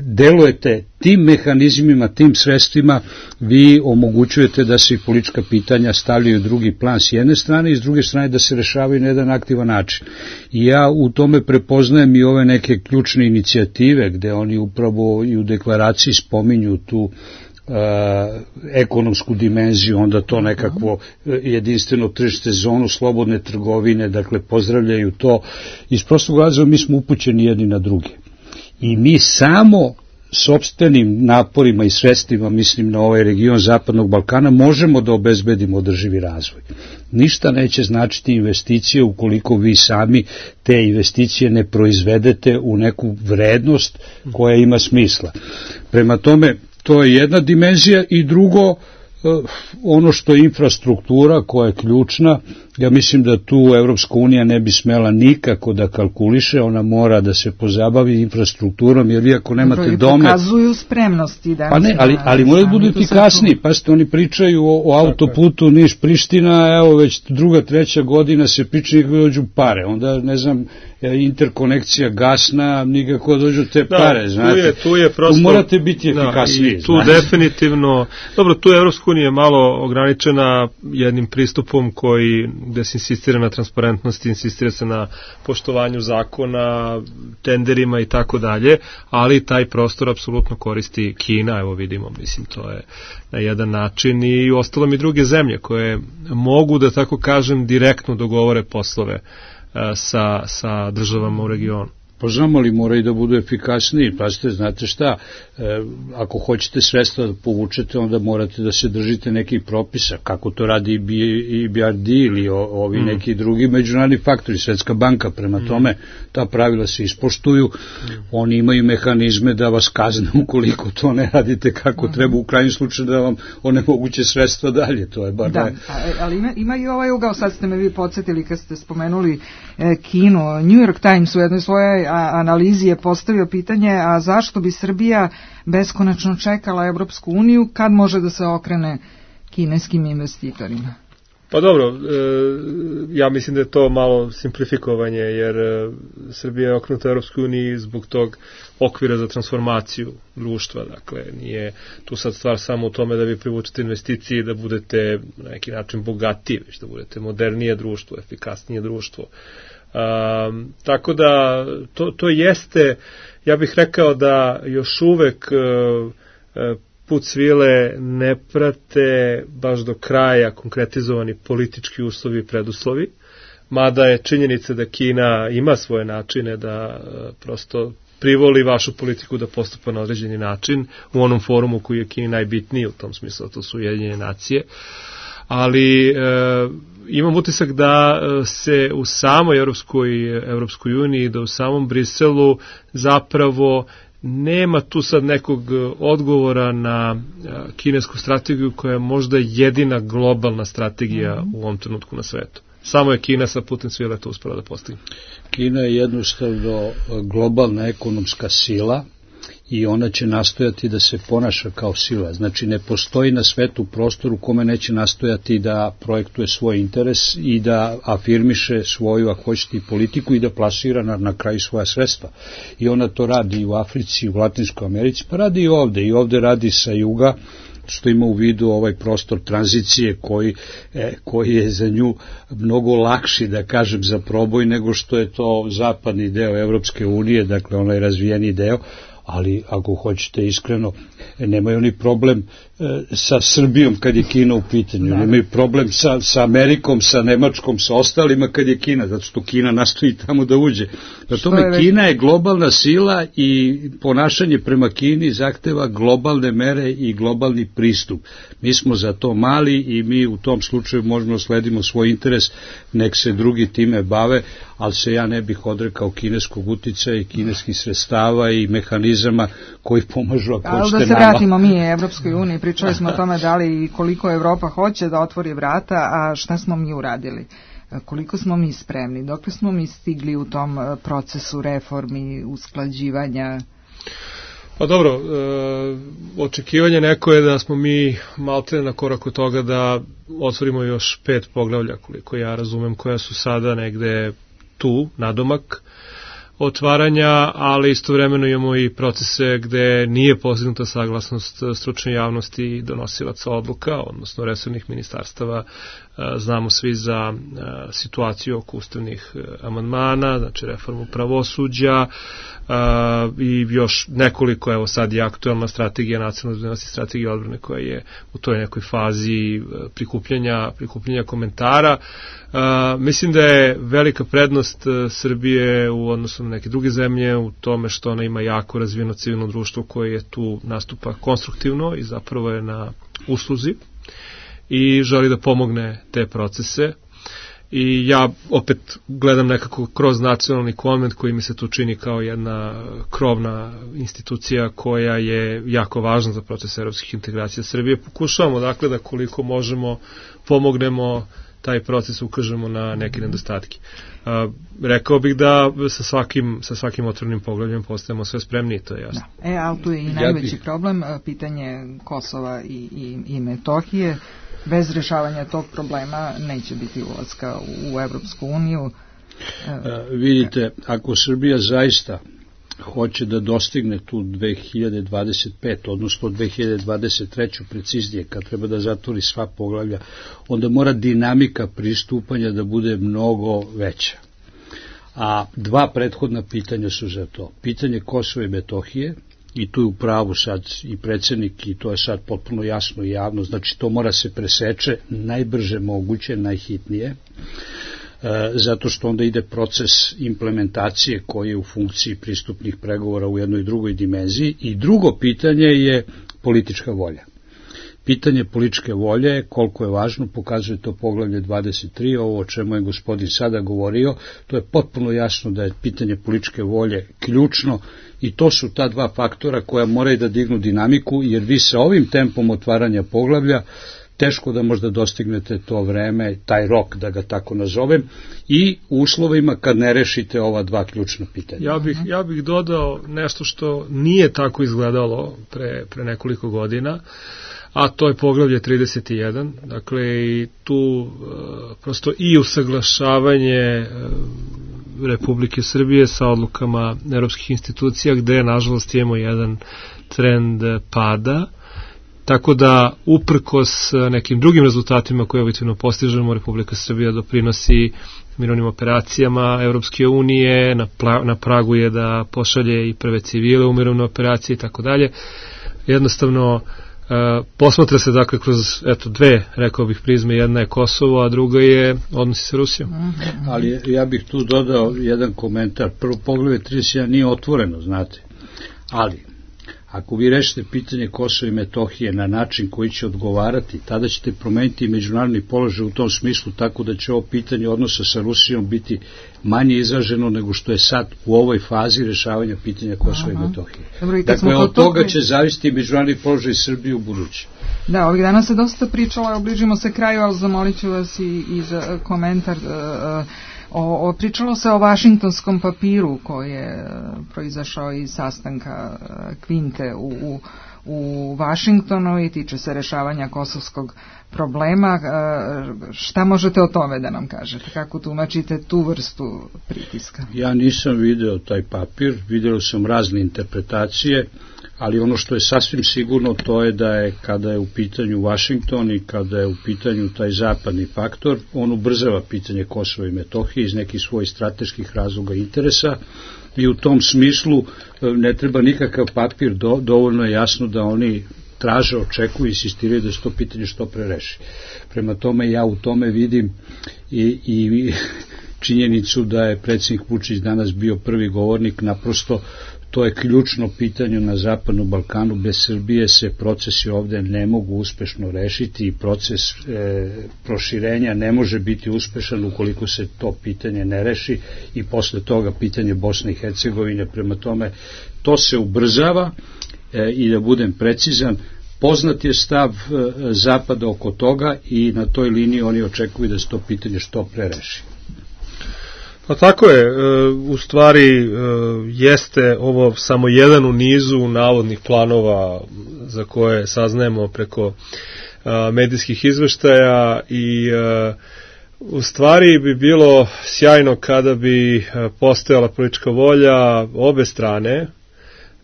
delujete tim mehanizmima, tim sredstvima, vi omogućujete da se i politička pitanja stavljaju u drugi plan s jedne strane i s druge strane da se rešavaju na jedan aktivan način. I ja u tome prepoznajem i ove neke ključne inicijative gde oni upravo i u deklaraciji spominju tu ekonomsku dimenziju, onda to nekakvo jedinstveno tržište, zonu slobodne trgovine, dakle pozdravljaju to. Iz prostog razloga mi smo upućeni jedni na druge. I mi samo sopstvenim naporima i sredstvima, mislim na ovaj region Zapadnog Balkana, možemo da obezbedimo održivi razvoj. Ništa neće značiti investicije ukoliko vi sami te investicije ne proizvedete u neku vrednost koja ima smisla. Prema tome, to je jedna dimenzija i drugo, ono što je infrastruktura koja je ključna, ja mislim da tu Evropska unija ne bi smela nikako da kalkuliše, ona mora da se pozabavi infrastrukturom, jer vi ako nemate domet... Pokazuju spremnosti. Pa ne, ali moraju da budu efikasniji, pa ste oni pričaju o autoputu Niš-Priština, evo već druga, treća godina se priča nikako dođu pare, onda ne znam, interkonekcija gasna, nikako dođu te pare, znate. Tu je prosto... Tu morate biti efikasniji. Tu definitivno, dobro, tu je Evropska unija malo ograničena jednim pristupom gde se insistira na transparentnosti, insistira se na poštovanju zakona, tenderima i tako dalje, ali taj prostor apsolutno koristi Kina, evo vidimo, mislim, to je na jedan način i ostalom i druge zemlje koje mogu, da tako kažem, direktno dogovore poslove sa državama u regionu. Pa znamo li moraju da budu efikasniji, pazite, znate šta, ako hoćete sredstva da povučete, onda morate da se držite nekih propisa, kako to radi i BRD ili ovi neki drugi međunarodni faktori, Svetska banka, prema tome ta pravila se ispoštuju, oni imaju mehanizme da vas kazne ukoliko to ne radite kako treba, u krajnjem slučaju da vam onemoguće sredstva dalje, to je bar... Da, ali ima i ovaj ugao, sad ste me vi podsjetili kad ste spomenuli Kinu, New York Times u jednoj svojoj analizi je postavio pitanje, a zašto bi Srbija beskonačno čekala Evropsku uniju kad može da se okrene kineskim investitorima? Pa dobro, ja mislim da je to malo simplifikovanje, jer Srbija je okrenuta Europskoj uniji zbog tog okvira za transformaciju društva, dakle nije tu sad stvar samo u tome da vi privučete investicije i da budete na neki način bogatiji, već da budete modernije društvo, efikasnije društvo. Tako da to jeste, ja bih rekao da još uvek put svile ne prate baš do kraja konkretizovani politički uslovi i preduslovi, mada je činjenica da Kina ima svoje načine da prosto privoli vašu politiku da postupa na određeni način u onom forumu koji je Kini najbitniji u tom smislu, to su Ujedinjene nacije. Ali imam utisak da se u samoj Evropskoj uniji, da u samom Briselu zapravo nema tu sad nekog odgovora na kinesku strategiju koja je možda jedina globalna strategija u ovom trenutku na svetu. Samo je Kina sa putem svile to uspela da postigne. Kina je jednostavno globalna ekonomska sila i ona će nastojati da se ponaša kao sila. Znači ne postoji na svetu prostor u kome neće nastojati da projektuje svoj interes i da afirmiše svoju, ako hoćete, i politiku i da plasira na kraju svoja sredstva. I ona to radi i u Africi, i u Latinskoj Americi, pa radi i ovde radi sa juga, što ima u vidu ovaj prostor tranzicije koji je za nju mnogo lakši, da kažem, za proboj nego što je to zapadni deo Evropske unije, dakle onaj razvijeni deo, ali ako hoćete iskreno, nemaju oni problem sa Srbijom kad je Kina u pitanju, nemaju problem sa Amerikom, sa Nemačkom, sa ostalima kad je Kina, zato što Kina nastoji tamo da uđe. Zato Kina je globalna sila i ponašanje prema Kini zahteva globalne mere i globalni pristup. Mi smo za to mali i mi u tom slučaju možemo sledimo svoj interes, nek se drugi time bave, ali se ja ne bih odrekao kineskog uticaja i kineskih sredstava i mehanizama koji pomažu, ako hoćete, nama. Da se vratimo mi Evropskoj uniji, pričali smo o tome da li i koliko Evropa hoće da otvori vrata, a šta smo mi uradili? Koliko smo mi spremni? Dokle smo mi stigli u tom procesu reformi, usklađivanja? Pa dobro, očekivanje neko je da smo mi maltene na korak od toga da otvorimo još 5 poglavlja, koliko ja razumem, koja su sada negde tu, nadomak otvaranja, ali istovremeno imamo i procese gde nije postignuta saglasnost stručne javnosti i donosilaca odluka, odnosno resornih ministarstava. Znamo svi za situaciju oko ustavnih amandmana, znači reformu pravosuđa i još nekoliko, evo sad je aktualna strategija nacionalne bezbednosti, strategija odbrane koja je u toj nekoj fazi prikupljanja komentara. Mislim da je velika prednost Srbije u odnosu na neke druge zemlje u tome što ona ima jako razvijeno civilno društvo koje je tu nastupa konstruktivno i zapravo je na usluzi i želi da pomogne te procese. I ja opet gledam nekako kroz nacionalni konvent koji mi se tu čini kao jedna krovna institucija koja je jako važna za proces evropskih integracija Srbije. Pokušavamo dakle da koliko možemo pomognemo taj proces, ukažemo na neke nedostatke. Rekao bih da sa svakim otvorenim poglavljem postajemo sve spremniji, to je jasno. Ali tu je i najveći problem, pitanje Kosova i Metohije. Bez rešavanja tog problema neće biti ulaska u Evropsku uniju. Vidite, ako Srbija zaista hoće da dostigne tu 2025, odnosno 2023. preciznije, kad treba da zatvori sva poglavlja, onda mora dinamika pristupanja da bude mnogo veća. A 2 prethodna pitanja su za to. Pitanje Kosova i Metohije, i tu je u pravu sad i predsjednik i to je sad potpuno jasno i javno, znači to mora se preseče najbrže moguće, najhitnije, zato što onda ide proces implementacije koji je u funkciji pristupnih pregovora u jednoj i drugoj dimenziji. I drugo pitanje je politička volja. Pitanje političke volje, koliko je važno, pokazuje to poglavlje 23, ovo o čemu je gospodin sada govorio, to je potpuno jasno da je pitanje političke volje ključno i to su ta 2 faktora koja moraju da dignu dinamiku, jer vi sa ovim tempom otvaranja poglavlja teško da možda dostignete to vreme, taj rok, da ga tako nazovem, i uslovima kad ne rešite ova dva ključna pitanja. Ja bih dodao nešto što nije tako izgledalo pre nekoliko godina, a to je poglavlje 31, dakle i tu prosto i usaglašavanje Republike Srbije sa odlukama evropskih institucija, gde nažalost imamo jedan trend pada, tako da uprkos nekim drugim rezultatima koje objektivno postižemo, Republika Srbija doprinosi mirovnim operacijama Evropske unije, na pragu je da pošalje i prve civile u mirovne operacije i tako dalje. Jednostavno posmatra se dakle kroz dve, rekao bih, prizme, jedna je Kosovo, a druga je odnosi sa Rusijom. Ali ja bih tu dodao jedan komentar. Prvo, poglavlje 31 nije otvoreno, znate, ali ako vi rešite pitanje Kosova i Metohije na način koji će odgovarati, tada ćete promeniti međunarodni položaj u tom smislu, tako da će ovo pitanje odnosa sa Rusijom biti manje izraženo nego što je sad u ovoj fazi rešavanja pitanja Kosova i Metohije. Dakle, od toga će zavisiti međunarodni položaj Srbije u budući. Da, ovih dana se dosta pričalo, obližimo se kraju, ali zamolit ću vas i za komentar. Pričalo se o vašingtonskom papiru koji je proizašao iz sastanka Kvinte u Vašingtonu i tiče se rešavanja kosovskog problema. Šta možete o tome da nam kažete? Kako tumačite tu vrstu pritiska? Ja nisam video taj papir, video sam razne interpretacije, ali ono što je sasvim sigurno to je da je kada je u pitanju Vašington i kada je u pitanju taj zapadni faktor, on ubrzava pitanje Kosova i Metohije iz nekih svojih strateških razloga i interesa i u tom smislu ne treba nikakav papir, dovoljno je jasno da oni traže, očekuju i insistiraju da se to pitanje što pre reši. Prema tome ja u tome vidim i činjenicu da je predsjednik Vučić danas bio prvi govornik, naprosto to je ključno pitanje na Zapadnom Balkanu. Bez Srbije se procesi ovde ne mogu uspešno rešiti i proces proširenja ne može biti uspešan ukoliko se to pitanje ne reši i posle toga pitanje Bosne i Hercegovine. Prema tome, to se ubrzava i da budem precizan, poznat je stav Zapada oko toga i na toj liniji oni očekuju da se to pitanje što pre reši. Pa tako je, u stvari jeste ovo samo jedan u nizu navodnih planova za koje saznajemo preko medijskih izveštaja i u stvari bi bilo sjajno kada bi postojala politička volja obe strane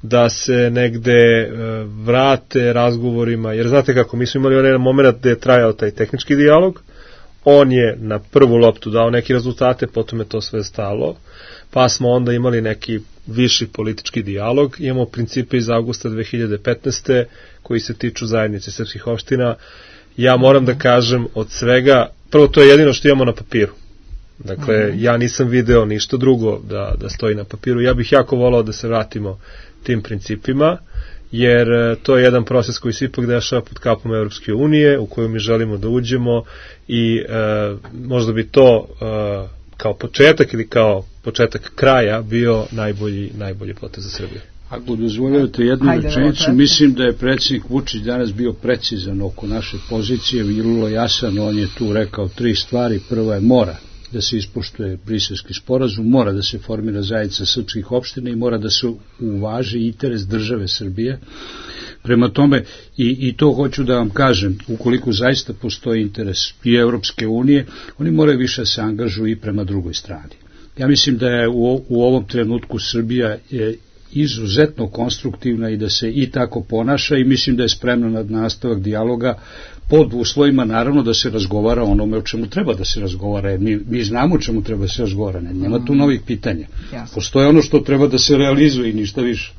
da se negde vrate razgovorima, jer znate kako, mi smo imali onaj moment gde je trajao taj tehnički dijalog, on je na prvu loptu dao neke rezultate, potom je to sve stalo, pa smo onda imali neki viši politički dijalog, imamo principe iz avgusta 2015. koji se tiču zajednice srpskih opština. Ja moram da kažem od svega, prvo to je jedino što imamo na papiru. Dakle, ja nisam video ništa drugo da stoji na papiru. Ja bih jako volao da se vratimo tim principima, jer to je jedan proces koji se ipak dešava pod kapom Evropske unije, u koju mi želimo da uđemo i možda bi to kao početak ili kao početak kraja bio najbolji potez za Srbiju. Ako dozvoljavate jednu rečenicu, mislim da je predsjednik Vučić danas bio precizan oko naše pozicije, vrlo jasan, on je tu rekao 3 stvari. Prvo je mora da se ispoštuje Briselski sporazum, mora da se formira zajednica srpskih opština i mora da se uvaži interes države Srbije. Prema tome, i to hoću da vam kažem, ukoliko zaista postoji interes i Evropske unije, oni moraju više da se angažuju i prema drugoj strani. Ja mislim da je u ovom trenutku Srbija izuzetno konstruktivna i da se i tako ponaša i mislim da je spremna na nastavak dijaloga pod uslovima naravno da se razgovara o onome o čemu treba da se razgovara, jer mi znamo o čemu treba da se razgovara, nema tu novih pitanja. Postoje ono što treba da se realizuje i ništa više.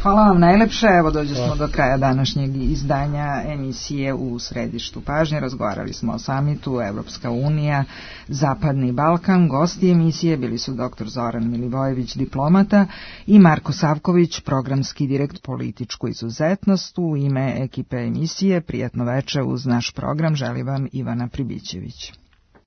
Hvala vam najlepše, evo dođe smo do kraja današnjeg izdanja emisije U središtu pažnje. Razgovarali smo o samitu Evropska unija, Zapadni Balkan. Gosti emisije bili su dr. Zoran Milivojević, diplomata, i Marko Savković, programski direkt političku izuzetnost. U ime ekipe emisije prijatno veče uz naš program želi vam Ivana Pribićević.